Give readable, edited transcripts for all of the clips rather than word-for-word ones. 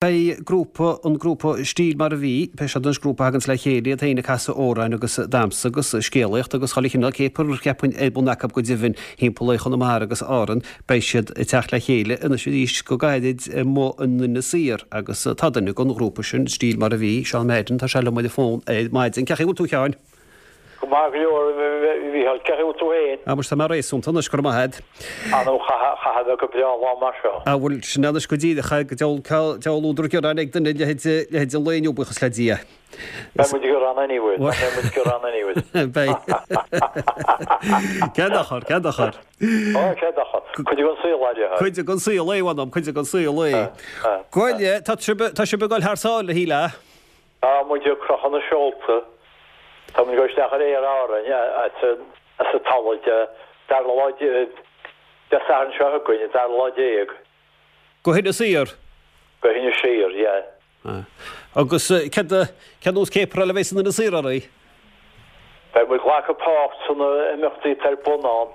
Beidh grúpa, an grúpa Stíl Mar a Bhí, beidh siad anois grúpa a thaganns le chéile, iad féin ag casadh amhráin agus damhsa agus scéalaíocht agus chuile chineál céapar cheapfainn ar bun acu go deimhin thimpeall ar Chonamara agus Árann. Beidh siad ag teacht le chéile anois arís go gairid amuigh in Inis Oírr agus tá duine den ghrúpa sin, Stíl Mar a Bhí, Seán Madden, tá sé liom ar an bhfón ar maidin. Cén chaoi a bhfuil tú a Sheáin? Go maith go leor, a Mhícheáil. Cén chaoi a bhfuil tú féin? Á, muis tá mé réasúnta anois, go raibh maith a'd. Á nó chaithfeadh a bheith go breá lá mar seo. Á bhuel, sin anois go díreach é, go deabhal, deabhal údar gearáin ag duine leithéid, leithéid an lae inniu, buíochas le Dia. Beidh muid ag gearán anyway, tá beidh muid ag gearán anyway. Beidh. Cén dochar, cén dochar. Á, cén dochar. Cuid den saol é. Cuid den saol é, mh'anam, cuid den saol é. Bhuel, tá sibh, tá sibh ag dul thar sáile, shílfeá. Tá muid ag crochadh na seolta. Tá muid ag dul isteach ar Aer Árainn as an Tulaigh dara lá Dé Sathairn seo chugainn, an dara lá déag. Go hInis Oírr? Go hInis Oírr, yeah. Agus céard, cén nós céapar eile a bheas in Inis Oírr oraibh? Beidh muid ag glacadh páirt sna imeachtaí atá ar bun ann.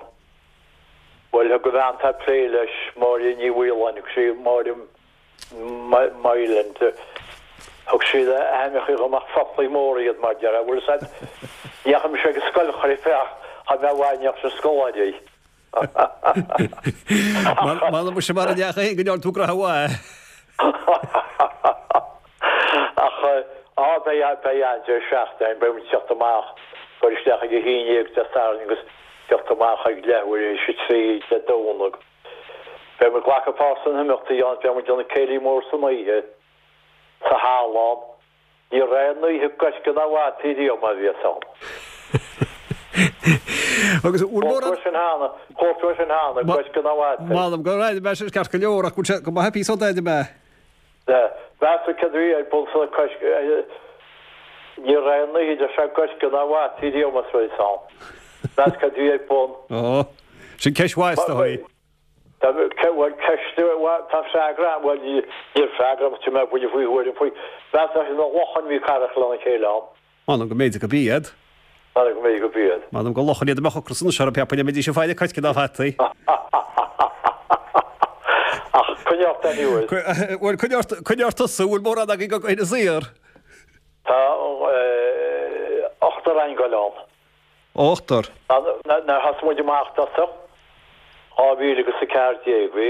Bhuel, thug an bhean atá ag plé leis, Máire Ní Mhaoláin, thug sí Máire Myland. Thug siad ainmneacha dhom ach foclaí móra iad mar déarfá. Bhfuil fhios a'd, ní dheachaigh mise ag an scoil chor ar bith ach tá mé i bhfad níos na scoláirí. M'anam muise mara ndeachaigh féin go ndearna tú graithe mhaith. Ach á beidh beidh an-deireadh seachtaine againn, beidh muid ag teacht amach, dul isteach ag a haon dhéag Dé Sathairn agus teacht amach ag leathuair théis a trí Dé Domhnaigh. Beidh muid ag glacadh páirt sna himeachtaí ann, beidh muid ag déanamh céilí mór san oíche, sa halla ann. Ní raibh aon oíche coisricthe ná fataí riamh mar a bhíos ann. Agus bhfuil mórán. Chuala tú sin cheana, chuala tú sin cheana, coisricthe ná fataí. M'anam gur ainm é sin ceart go leor ach go bhfuil sé go maith píosa d'ainm é. Meas tú céard a bhí ar bun sna coisricthe, ní raibh aon oíche a raibh sé coisricthe ná fataí riamh mar a bhíos ann. Meas céard a bhí ar bun. Ó, sin ceist mhaith is dóigh. Tá, bhuel, ceist mhaith, tá freagra ann, bhuel, níl freagra agam, tá mé buille faoi thuairim faoi. Meas tú na locháin a bhí ag carrach lena chéile ann. M'anam go mb'fhéidir go b'í iad. M'anam go mb'fhéidir go b'í iad. M'anam gur locháin iad a mbeadh ocras anois orthu, cheapfainn, dá mbeidís ag faire coirce ná fataí. Ach coinnigh ort anyway. Bhuel, coinnigh ort, coinnigh ort tusa, bhfuil mórán agaibh ag dul go hInis Oírr? Tá ochtar againn ag dul ann. Ochtar. Nuair a thosaigh muid amach i dtosach, 2014, bhí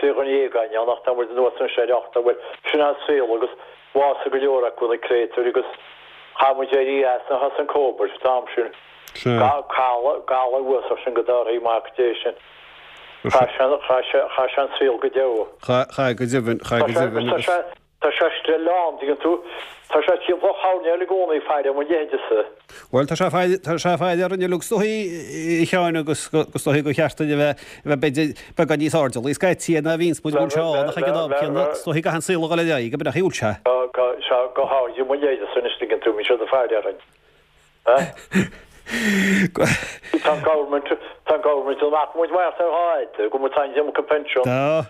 13 dhuine againn ann ach tá muid anuas anois ar ochtar. Bhuel, sin é an saol agus bhásaigh go leor acu, na créatúir, agus chaith muid éirí as nuair a thosaigh an Covid an t-am sin. Galar, galar uafásach sin go dtabharfaidh Mac Dé sinn. Chaith sé, chaith sé an saol go deo. Chaith go deimhin, chaith go deimhin agus. Tá sé istigh lán, tuigeann tú. Tá sé timpeall an choirnéil i gcónaí ag faire ar mo leithéidese. Bhuel, tá sé ag tá sé ag faire orainn uilig is dóichí, a Sheáin, agus is dóichí gur cheart duinn a bheith, a bheith b'fhéidir beagán níos airdeallaí scaití ná a bhíonns muid, an bhfuil sé ann, ach ag an am céanna, is dóichí go gcaithfidh an saol a dhul ar aghaidh, go mbeadh, bhfuil sé? Tá, tá, go háirithe mo leithéidese anois, tuigeann tú, bíonn siad ag faire orainn. Tá an government, tá an government amach muid mart ar sháid, go mbeidh an iomarca pension. Tá,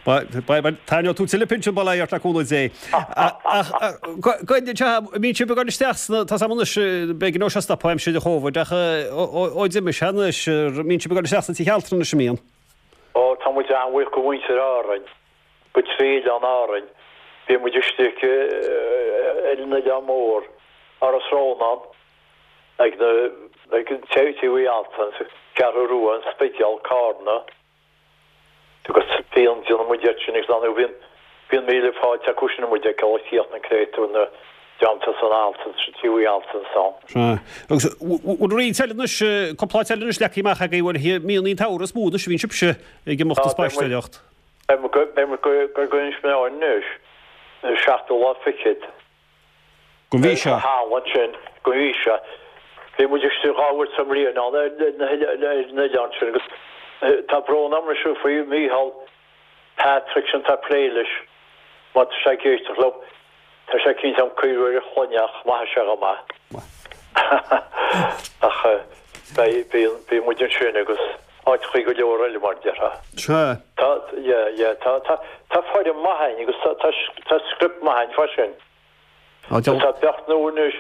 tarraingeoidh tú tuilleadh pinsean bail ó Dhia ort le cúnamh Dé. Ach go mbíonn sibh ag dul isteach sna, tá 's agam anois, b'fhéidir go raibh sé stoptha aimsir an Chóvid ach ó d'imigh sé anois, mbíonn sibh ag dul isteach sna tithe altranais an mbíonn? Ó, tá muid an-bhuíoch go mhuintir Árainn. Go trí Oileán Árainn. Bhí muid istigh ar an Oileán Mór, Áras Rónáin, ag na, ag an Tigh Uí Altan, sa Cheathrú Rua, an Spidéal, Cárna. Agus bíonn, déanann muid iad sin agus bíonn, bíonn míle fáilte acu sin muid ag tíocht na créatúir na dteannta san Altan, sa Tigh Uí Altan san. Sea. Agus bhfuil roinnt eile anois, cúpla áit eile anois leagtha amach agaibh, bhuel, míonna an tsamhraidh is mó anois a bhíonn sibhse ag imeacht ag spaisteoireacht. Beidh muid go Inis Meáin anois, an seachtú lá fichead. Den mhí seo. Sa halla ansin, den mhí seo. Bhí muid istigh dhá uair sa mbliain ann ar an oileán sin agus tá brón orm anois faoi Mhícheál Patrick sin atá ag plé leis má tá sé ag éisteacht liom. Tá sé cinnte agam cuimhniú ar a chlainne ach maithfidh sé dhom é. Ach beidh, bíonn, bíonn muid ansin agus áiteachaí go leor eile mar a déarfá. Sea. Tá, yeah, yeah, tá, tá, tá foireann maith againn agus tá, tá, tá script maith againn freisin. Tá beirt nua anois,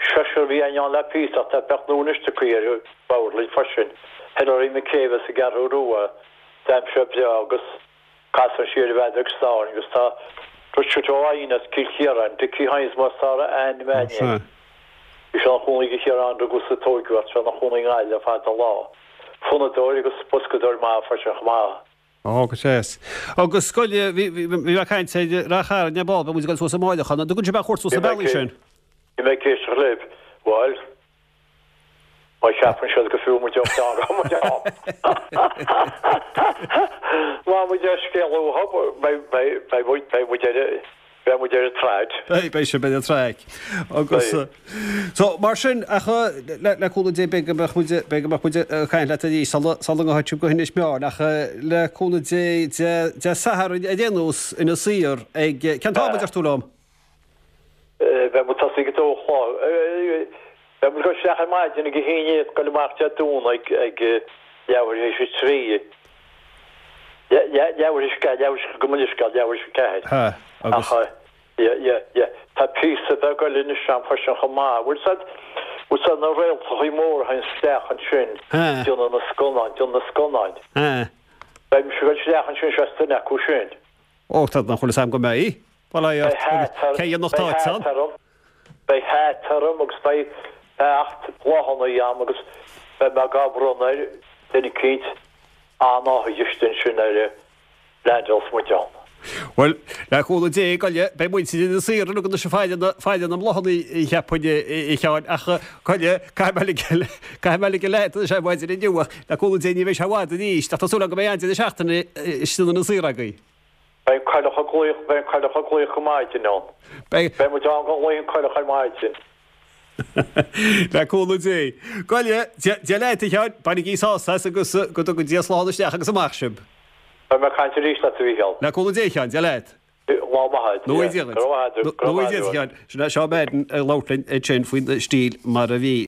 seisear a bhí againn ann le píosa ach tá beirt nua anois tagtha ar bord linn freisin, Hilary McCabe as an gCeathrú Rua, d'aimsigh breá agus. Casann sí ar an bhfeadóg stáin agus tá Richard Ó Eidhin as Cill Chiaráin, Dickie Hynes más tá a ainm air. Bhí sé ina chónaí i gCill Chiaráin rugadh is tóigeadh ach tá sé ina chónaí i nGaillimh le fada an lá. Fonnadóir agus boscadóir maith freisin chomh maith. Ó, go deas. Agus scoile, bhí mé ag caint ar Ráth Chairn ar ball, beidh muid ag dul suas amáireach ann. An dtugann sibh aon chuairt suas na bealaí sin? Bhí mé ag éisteacht libh. Bhuel, má cheapann siad gur fiú muid ann, gabhfaidh muid ann. Má muid ar scéal uathu, beidh muid ar Beidh muid ar an traic. Beidh, beidh sibh ar an traic. Agus, so, mar sin, ach le cúnamh Dé beidh go mbeadh muid, beidh go mbeadh muid ag caint leat arís sula, sula ngabhfaidh sibh go hInis Meáin, ach le cúnamh Dé, Dé, Dé Sathairn ar aon nós Inis Oírr ag, cén t-am a deir tú liom? Beidh muid tosaithe ag a dó a chlog. Beidh muid ag dul isteach ar maidin ag a haon dhéag, ag dul amach Dé Domhnaigh ag leathuair théis a trí. Leathuair théis a ceathair, leathuair théis, gabh mo leithscéal, leathuair théis a ceathair. Ha, agus. Ach, yeah, yeah, yeah. Tá píosa beag eile anois ann freisin chomh maith. Bhfuil fhios a'd, bhfuil fhios a'd na réaltachaí móra a théann isteach ansin, Ha. déanamh na scannáin, déanamh na scannáin. Ha. Beidh mise ag dul isteach ansin is as duine acu sin. Ó, tá, nach bhfuil fhios a'm go mbeidh. Bhuel, aye, ort, agus cé dhéanfadh Beidh áit hat ann? orm, beidh hat orm agus beidh beacht bláthanna a'm agus beidh mé ag bronnadh ar duine eicínt an-áthas istigh ansin ar a leaindeálas muid ann. Bhuel, le cúnamh Dé, Goile, beidh muintir Inis Oírr anois ag fáil na, fáil na mbláthanna cheapfainn, a Sheáin, ach Goile, caithfidh mé ligean, caithfidh mé ligean leat anois ar maidin inniu, ach le cúnamh Dé ní bheidh sé i bhfad arís, ach tá súil agam go mbeidh an-deireadh seachtaine istigh in Inis Oírr agaibh. Beidh an coileach ag glaoch, beidh an coileach ag glaoch go maidin ann. Beidh. Beidh muid ann go nglaofaidh an coileach ar maidin. Le cúnamh Dé. Goile, Dia leat, a Sheáin, bainigí sásamh as agus go dtuga Dia slán isteach agus amach sibh. Beidh mé ag caint arís leat, a Mhícheál. Le cúnamh Dé, a Sheáin, Dia leat. Lá maith agat. Go raibh maith agat. Go raibh maith agat, a Sheáin. Sin é Seán Madden ag labhairt linn ansin faoin stíl mar a bhí.